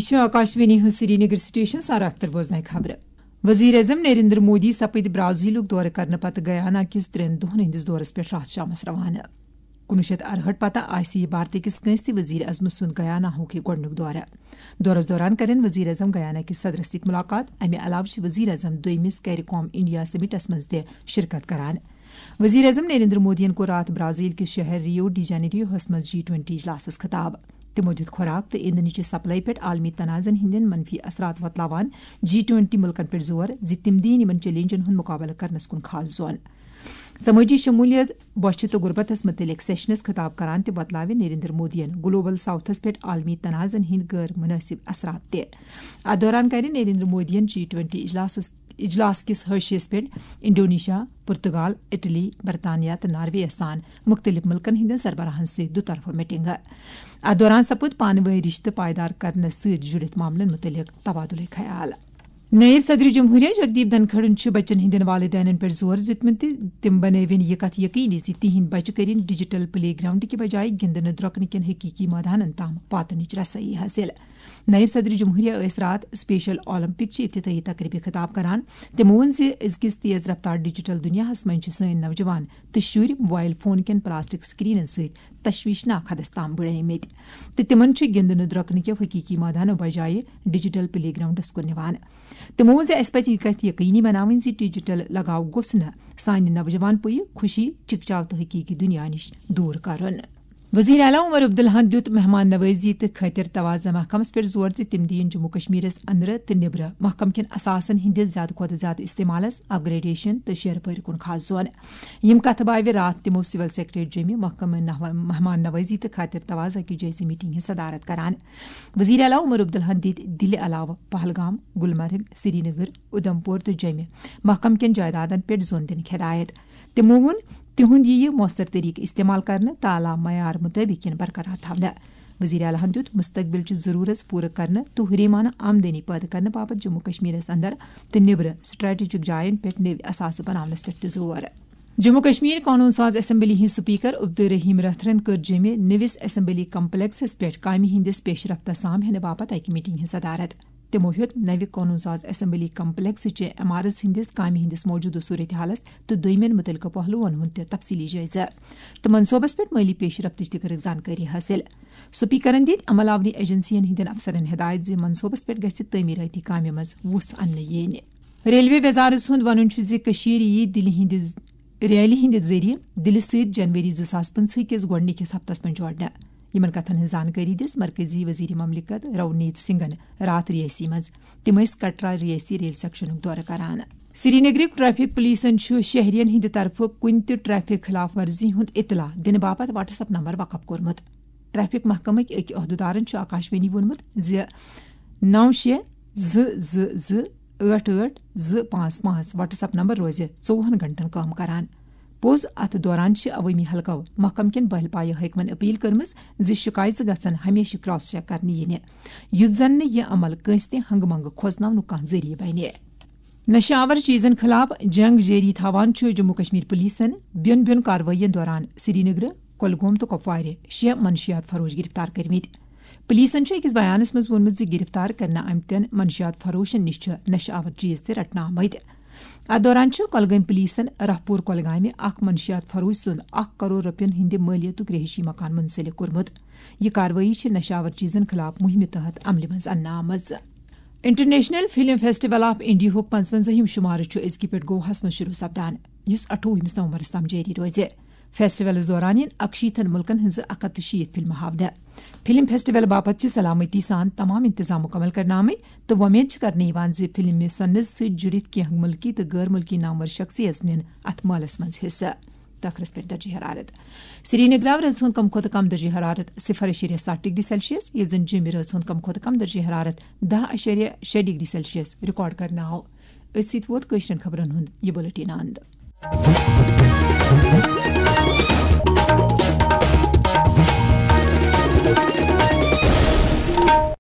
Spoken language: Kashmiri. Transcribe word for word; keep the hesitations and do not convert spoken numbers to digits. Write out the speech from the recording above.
یہِ چھُ آکاشوانی ہُنٛد سرینگر سٹیشن، سارا اختر بوزناے خبرٕ۔ وزیر اعظم نریندر مودی سپٕدۍ برازیلُک دورٕ کرنہٕ پتہٕ گیانا کِس ترٛٮ۪ن دۄہن ہٕنٛدِس دورس پٮ۪ٹھ راتھ شامس روانہٕ۔ کُنوُہ شیٚتھ اَرہٲٹھ پتہٕ آسہِ یہِ بھارتہٕ کِس کٲنٛسہِ تہِ وزیر اعظمہٕ سُنٛد گیانا ہُک یہِ گۄڈٕنیُک دورٕ۔ دورس دوران کرن وزیر اعظم گیانا کِس صدرس سۭتۍ ملاقات۔ امہِ علاوٕ چھِ وزیر اعظم دوٚیمِس کیریکام انڈیا سمٹس منٛز تہِ شرکت کران۔ وزیر اعظم نریندر مودیَن کوٚر راتھ برازیل کِس شہر ریو ڈی جنیریوہس منٛز جی ٹوینٹی اجلاسس خطاب۔ تِمو دیُت خوراک تہٕ ایندھنٕچہِ سپلائی پٮ۪ٹھ عالمی تنازعن ہٕنٛدٮ۪ن منفی اثرات وۄتلاوان جی ٹوینٹی مُلکن پٮ۪ٹھ زور زِ تِم دِیِن یِمن چیلنجن ہُنٛد مُقابلہٕ کرنس کُن خاص زون۔ سمٲجی شمولیت، بۄچھِ تہٕ غربتس مُتعلق سیشنس خطاب کران تہِ وۄتلاوِ نریندر مودیَن گلوبل ساؤتھس پٮ۪ٹھ عالمی تنازعن ہٕنٛدۍ غٲر مناسب اثرات تہِ۔ اتھ دوران کرِ نریندر مودیَن جی ٹوینٹی اجلاسس اجلاس کس حٲشیس پٮ۪ٹھ انڈونیشیا، پرتگال، اٹلی، برطانیہ تہٕ ناروے یَس سان مُختٔلِف مُلکَن ہٕنٛدٮ۪ن سربراہَن سۭتۍ دُطرفہٕ میٹنگہٕ۔ اَتھ دوران سپُد پانہٕ وٲنۍ رشتہٕ پائیدار کرنس سۭتۍ جُڑِتھ معاملن مُتعلق تبادلہٕ خیال۔ نائب صدر جمہوریہ جگدیپ دھنکھڑَن چھُ بچن ہٕنٛدٮ۪ن والدینن پٮ۪ٹھ زور دیُتمُت تہٕ تِم بنٲوِن یہِ کتھ یقینی زِ تِہنٛدۍ بچہٕ کٔرِن ڈیجیٹل پلے گراؤنڈ کہِ بجایہِ گِنٛدنہٕ درۄکنہٕ کٮ۪ن حقیقی مٲدانن تام واتنٕچ رسٲیی حٲصِل۔ نائب صدر جمہوریہ ٲسۍ راتھ اسپیشل اولمپک چہِ افتتاحی تقریبہِ خطاب کران۔ تِمو ووٚن زِ أزکِس تیز رفتار ڈیجیٹل دنیاہس منٛز چھِ سٲنۍ نوجوان تہٕ شُرۍ موبائل فون کٮ۪ن پلاسٹک سکرینن سۭتۍ تشویشناک حدس تام بڑیمٕتۍ تہٕ تِمن چھِ گِنٛدنہٕ درۄکنہٕ کٮ۪و حقیقی مٲدانو بجایہِ ڈیجیٹل پلے گراؤنڈس کُن نِوان۔ تِمو ووٚن زِ اسہِ پزِ یہِ کتھ یقینی بناوٕنۍ زِ ڈیجیٹل لگاو گوٚژھ نہٕ سانہِ نوجوان پُیہِ خوشی، چکچاو تہٕ حقیقی دنیا نِش دوٗر کرُن۔ وزیر اعلیٰ عمر عبداللہَن دیُت مہمان نوازی تہٕ خٲطر توازٕ محکمس پٮ۪ٹھ زور زِ تِم دِیِن جموں کشمیرس اندرٕ تہٕ نیبرٕ محکمہٕ کٮ۪ن اثاثن ہٕنٛدِس زیادٕ کھۄتہٕ زیادٕ استعمالس، اپ گریڈیشن تہٕ شیرٕ پٲرِ کُن خاص زون۔ یِم کتھٕ باوِ راتھ تِمو سول سیکرٹریٹ جوٚمہِ محکمہٕ نحو-، مہمان نوازی تہٕ خٲطر توازٕ کہِ جٲیزٕ میٹنگ ہٕنٛز صدارت کران۔ وزیر اعلیٰ عمر عبداللہَن دِتۍ دِلہِ علاوٕ پہلگام، گلمرگ، سرینگر، اُدھمپور تہٕ جوٚمہِ محکمہٕ کٮ۪ن جائیدادن پٮ۪ٹھ زون دِنٕکۍ ہدایت۔ تِمو ووٚن، تِہُنٛد یِیہِ مؤثر طریقہٕ استعمال کرنہٕ تہٕ اعلیٰ معیار مُطٲبِق یِن برقرار تھاونہٕ۔ وزیر اعلیٰ ہَن دیُت مستقبل چہِ ضروٗرژ پوٗرٕ کرنہٕ تہٕ ہُریمانہٕ آمدنی پٲدٕ کرنہٕ باپتھ جموں کشمیرس اندر تہٕ نیبرٕ سٹریٹجک جاین پٮ۪ٹھ نٔوۍ اثاثہٕ بناونس پٮ۪ٹھ تہِ زور۔ جموں کشمیر قونوٗن ساز اسمبلی ہٕنٛدۍ سپیکر عبدالرحیم رٲتھرَن کٔر جیٚمہِ نٔوِس اسمبلی کمپلیکسس پٮ۪ٹھ کامہِ ہٕنٛدِس پیش رفتس سام ہینہٕ باپتھ اکہِ میٹنگ ہٕنٛز صدارت۔ تِمو ہیوٚت نوِ قونوٗن ساز اسمبلی کمپلیکس چہِ عمارژ ہٕنٛدِس کامہِ ہٕنٛدِس موجودٕ صورتحالس تہٕ دوٚیمٮ۪ن مُتعلقہٕ پہلوَن ہُنٛد تہِ تفصیلی جٲیزٕ تہٕ منصوبس پٮ۪ٹھ مٲلی پیش رفتٕچ تہِ کٔرٕکھ زانکٲری حٲصِل۔ سپیکرَن دِتۍ عمل آوری ایجنسین ہٕنٛدٮ۪ن افسرَن ہدایت زِ منصوبس پٮ۪ٹھ گژھِ تعمیٖرٲتی کامہِ منٛز وُژھ اننہٕ یِنۍ۔ ریلوے وزارت سُنٛد وَنُن چھُ زِ کٔشیٖر یِیہِ دِلہِ ہِنٛدِ ریلہِ ہِنٛدِ ذٔریعہٕ دِلہِ سۭتۍ جنوری زٕ ساس پٕنٛژٕہٕکِس گۄڈٕنِکِس ہفتس منٛز جوڑنہٕ۔ یِمن کتھن ہٕنٛز زانکٲری دِژ مرکزی وزیر مملکت رونیت سنگھن راتھ رِیٲسی منٛز۔ تِم ٲسۍ کٹرا رِیٲسی ریل سیکشنُک دورٕ کران۔ سرینگرٕکۍ ٹریفک پولیسن چھُ شہرین ہٕنٛدِ طرفہٕ کُنہِ تہِ ٹریفک خلاف ورزی ہُنٛد اطلاع دِنہٕ باپتھ WhatsApp نمبر وقف کوٚرمُت۔ ٹریفک محکمٕکۍ أکۍ عہدٕدارن چھُ آکاشوانی ووٚنمُت زِ نو شےٚ زٕ زٕ زٕ ٲٹھ ٲٹھ زٕ پانٛژھ پانٛژھ WhatsApp نمبر روزِ ژوٚوُہن گھنٹن کٲم کران۔ پوٚز، اتھ دوران چھِ عوٲمی حلقو محکمہٕ کٮ۪ن بہل پایہِ حٲکمن اپیل کٔرمٕژ زِ شکایژٕ گژھن ہمیشہٕ کراس چیک کرنہٕ یِنہِ، یُتھ زن نہٕ یہِ عمل کٲنٛسہِ تہِ ہنگہٕ منگہٕ کھوژناونُک کانٛہہ ذٔریعہٕ بنہِ۔ نشہٕ آور چیزن خلاف جنگ جٲری تھاوان چھُ جموں کشمیر پولیسن بیوٚن بیوٚن کاروٲیین دوران سرینگر، کۄلگوم تہٕ کۄپوارِ شےٚ منشیات فروش گرفتار کٔرمٕتۍ۔ پولیسن چھُ أکِس بیانس منٛز ووٚنمُت زِ گرفتار کرنہٕ آمتٮ۪ن منشیات فروشن نِش چھِ نشہٕ آور چیز تہِ رٹنہٕ آمٕتۍ۔ اتھ دوران چھُ کۄلگٲمۍ پولیسن راہپور کۄلگامہِ اکھ منشیات فروش سُنٛد اکھ کرور رۄپین ہٕنٛدِ مٲلیتُک رہٲیشی مکان منسلک کوٚرمُت۔ یہِ کاروٲیی چھِ نشہٕ آور چیزن خلاف مُہِمہِ تحت عملہِ منٛز اننہٕ آمٕژ۔ انٹرنیشنل فلم فیسٹیول آف انڈیاہُک پانٛژوَنٛزاہِم شُمارٕ چھُ أزکہِ پٮ۪ٹھ گواہس منٛز شروع سپدان، یُس اَٹھووُہمِس نومبرس تام جٲری روزِ۔ فیسٹیولس دوران یِن اَکشیٖتھن مُلکن ہٕنٛزٕ اَکھ ہَتھ تہٕ شیٖتھ فلمہٕ ہاونہٕ۔ فلم فیسٹیول باپتھ چھِ سلامتی سان تمام انتظام مُکمل کرنہٕ آمٕتۍ تہٕ وۄمید چھِ کرنہٕ یِوان زِ فلمہِ سنس سۭتۍ جُڑِتھ کینٛہہ مُلکی تہٕ غٲر مُلکی نامور شخصیژ نِن اتھ مٲلس منٛز حصہٕ۔ تہٕ ٲخرس پٮ۪ٹھ درجہ حرارت۔ سرینگرٕ آو رٲژ ہُنٛد کم کھۄتہٕ کم درجہ حرارت صفر اعشاریہ ستھ ڈگری سیلسیس، ییٚتہِ زن جیٚمہِ رٲژ ہُنٛد کم کھۄتہٕ کم درجہ حرارت دَہ اعشاریہ شےٚ ڈگری سیلسیس ریکارڈ کرنہٕ آو۔ أتھۍ سۭتۍ ووت کٲشرٮ۪ن خبرن ہُنٛد یہِ بُلٹن اند۔